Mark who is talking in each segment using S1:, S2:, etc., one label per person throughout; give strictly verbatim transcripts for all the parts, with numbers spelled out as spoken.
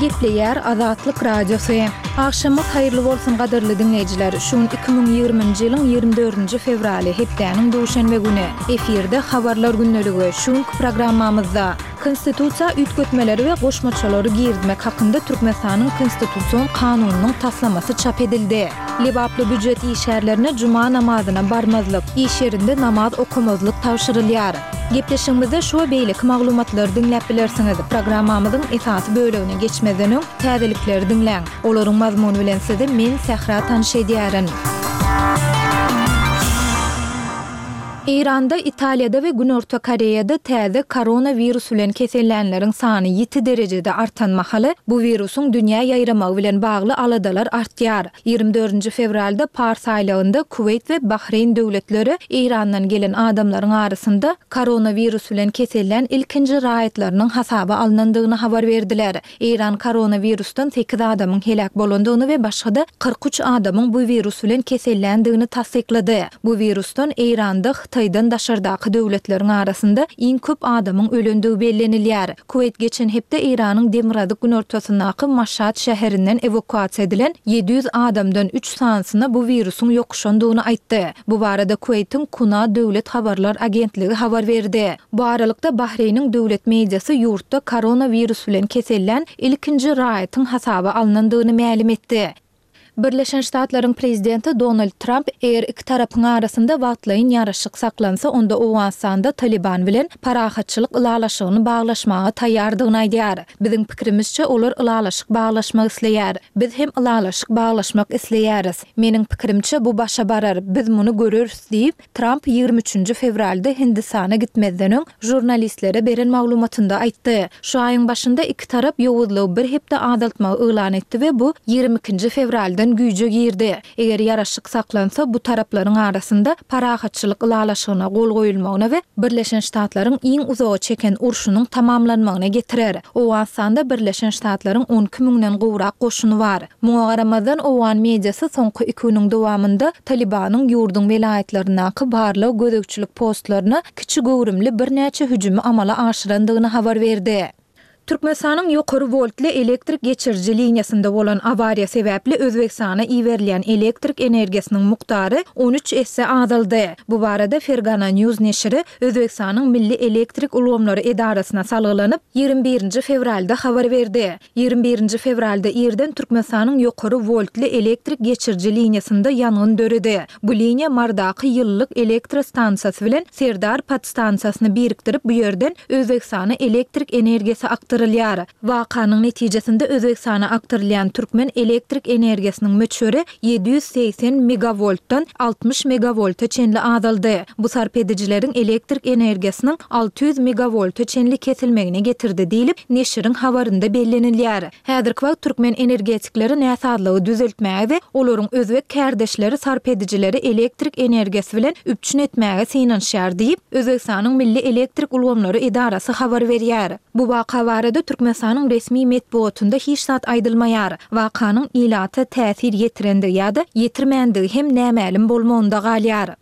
S1: Gepleýär Azatlyk Radiosy. Agşamyňyz haýyrly bolsun gadyrly diňleýjiler. Şu gün iki müň ýigriminji ýylyň ýigrimi dördünji fewraly, hepdäniň duşenbe güni. Efirde Habarlar gündeligi. Şu günki programmamyzda Konstitusiýa üýtgetmeleri we goşmaçalary girizmek hakynda Türkmenistanyň Konstitusion kanunynyň taslamasy çap edildi. Lebaply býujet işgärlerine juma namazyna barmazlyk, iş ýerinde namaz okamazlyk tabşyrylýar. Gepleşigimizde şu we beýleki maglumatlary diňläp bilersiňiz. Programmamyzyň esasy bölegine geçmezden öň, täzelikleri diňläň. Olaryň mazmuny bilen sizi men, Sähra tanyş edýärin. Eýranda, Italiýada we Günorta Koreýada täze koronawirus bilen kesellänleriň sany ýiti derejede artan mahaly, bu wirusyň dünýä ýaýramagy bilen bagly aladalar artýar. Ýigrimi dördünji fewralda Pars aýlagynda Kuweýt we Bahreýn döwletleri Eýrandan gelen adamlaryň arasynda koronawirus bilen kesellän ilkinji raýatlarynyň hasaba alnandygyny habar berdiler. Eýran koronawirusdan sekiz adamyň heläk bolandygyny we başga-da kyrk üç adamyň bu wirus bilen keselländigini tassyklady. Bu wirusdan Eýranda Hytaýdan daşardaky döwletleriň arasynda iň köp adamyň ölendigi bellenilýär. Kuweýt geçen hepde Eýranyň demirgazyk-günortasyndaky Maşat şäherinden ewakuasiýa edilen ýedi ýüz adamdan üç sanysyna bu wirusyň ýokuşandygyny aýtdy. Bu barada Kuweýtiň Kuna döwlet habarlar agentligi habar berdi. Bu aralykda, Bahreýniň döwlet mediasy ýurtda koronawirus bilen kesellän ilkinji raýatyň hasaba alnandygyny mälim etdi. Birleşen Ştatlaryň prezidenti Donald Tramp, eger iki tarapyň arasynda wagtlaýyn ýaraşyk saklansa, onda Owganystanda Talyban bilen parahatçylyk ylalaşygyny baglaşmaga taýýardygyny aýdýar. Biziň pikirimizçe, olar ylalaşyk baglaşmak isleýär. Biz hem ylalaşyk baglaşmak isleýäris. Meniň pikirimçe, bu başa barar, biz muny göreris diýip, Tramp ýigrimi üçünji fewralda Hindistana gitmezden öň žurnalistlere beren maglumatynda aýtdy. Şu aýyň başynda iki tarap ýowuzlygy bir hepde azaltmagy yglan etdi we bu ýigrimi ikinji fewraldan güýje girdi. Eger ýaraşyk saklansa, bu taraplaryň arasynda parahatçylyk ylalaşygyna gol goýulmagyna we Birleşen Ştatlaryň iň uzaga çeken urşunyň tamamlanmagyna getirer. Owganystanda Birleşen Ştatlaryň on iki müňden gowrak goşuny bar. Muňa garamazdan, owgan mediasy soňky iki günüň dowamynda Talybanyň ýurduň welaýatlaryndaky barlag-gözegçilik postlaryna kiçi göwrümli birnäçe hüjümi amala aşyrandygyny habar berdi. Türkmenistanyň ýokary woltly elektrik geçiriji liniýasynda bolan awariýa sebäpli Özbegistana iberilýän elektrik energiýasynyň mukdary on üç esse azaldy. Bu barada Fergana News neşiri Özbegistanyň Milli elektrik ulgamlary edarasyna salgylanyp, ýigrimi birinji fewralda habar berdi. Ýigrimi birinji fewralda irden Türkmenistanyň ýokary woltly elektrik geçiriji liniýasynda ýangyn döredi. Bu liniýa Marydaky ýylylyk elektrostansiýasy bilen Serdar podstansiýasyny birikdirip, bu ýerden Özbegistana elektrik energiýasy akdyrylýar. Wakanyň netijesinde Özbegistana akdyrylýan türkmen elektrik energiýasynyň möçberi ýedi ýüz segsen megawoltdan altmyş megawolta çenli azaldy. Bu sarp edijileriň elektrik energiýasynyň alty ýüz megawolta çenli kesilmegine getirdi diýlip, neşiriň habarynda bellenilýär. Häzirki wagt türkmen energetikleri näsazlygy düzeltmäge we olaryň özbek kärdeşleri sarp edijileri elektrik energiýasy bilen üpjün etmäge synanyşýar diýip, Özbegistanyň Milli elektrik ulgamlary edarasy habar berýär. Bu waka barada Türkmenistanyň resmi metbugatynda hiç zat aýdylmaýar. Wakanyň ilata täsir ýetirendigi ýa-da ýetirmändigi hem nämälim bolmagynda galýar.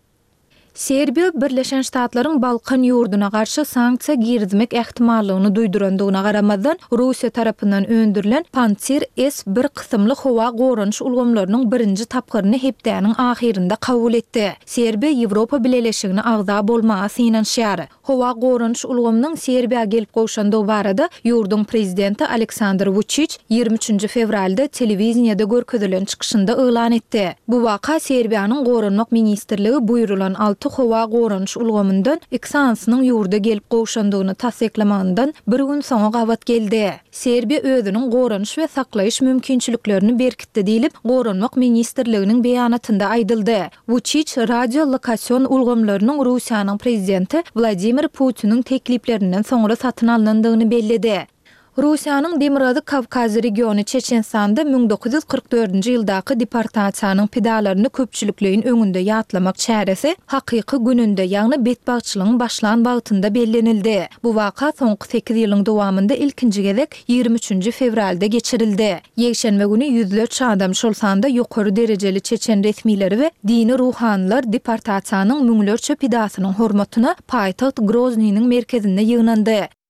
S1: Serbiýa Birleşen Ştatlaryň Balkan ýurduna garşy sanksiýa girizmek ähtimallygyny duýdurandygyna garamazdan, Russiýa tarapyndan öndürilen Pantsir S bir kysymly howa goranyş ulgamlarynyň birinji tapgyryny hepdäniň ahyrynda kabul etdi. Serbiýa Ýewropa Bileleşigine agza bolmaga synanyşýar. Howa goranyş ulgamynyň Serbiýa gelip gowşandygy barada ýurduň prezidenti Aleksandr Wuçiç ýigrimi üçünji fewralda telewideniýede görkezilen çykyşynda yglan etdi. Bu waka Serbiýanyň Goranmak ministrligi buýrulan alty howa goranyş ulgamyndan iki sanysynyň ýurda gelip gowşandygyny tassyklamagyndan bir gün soňa gabat geldi. Serbiýa özüniň goranyş we saklaýyş mümkinçiliklerini berkitdi diýlip, Goranmak ministrliginiň beýanatynda aýdyldy. Wuçiç radiolokasion ulgamlarynyň Russiýanyň prezidenti Wladimir Putiniň tekliplerinden soňra satyn alnandygyny belledi. Russiýanyň Demirgazyk Kawkaz regiony Çeçenistanda müň dokuz ýüz kyrk dördünji ýyldaky deportasiýanyň pidalaryny köpçülikleýin öňünde ýatlamak çäresi hakyky gününde, ýagny betbagtçylygyň başlan wagtynda bellenildi. Bu waka soňky sekiz ýylyň dowamynda ilkinji gezek ýigrimi üçünji fewralda geçirildi. Ýekşenbe güni ýüzlerçe adam, şol sanda ýokary derejeli çeçen resmileri we dini ruhanylar deportasiýanyň müňlerçe pidasynyň hormatyna paýtagt Groznynyň merkezinde ýygnandy.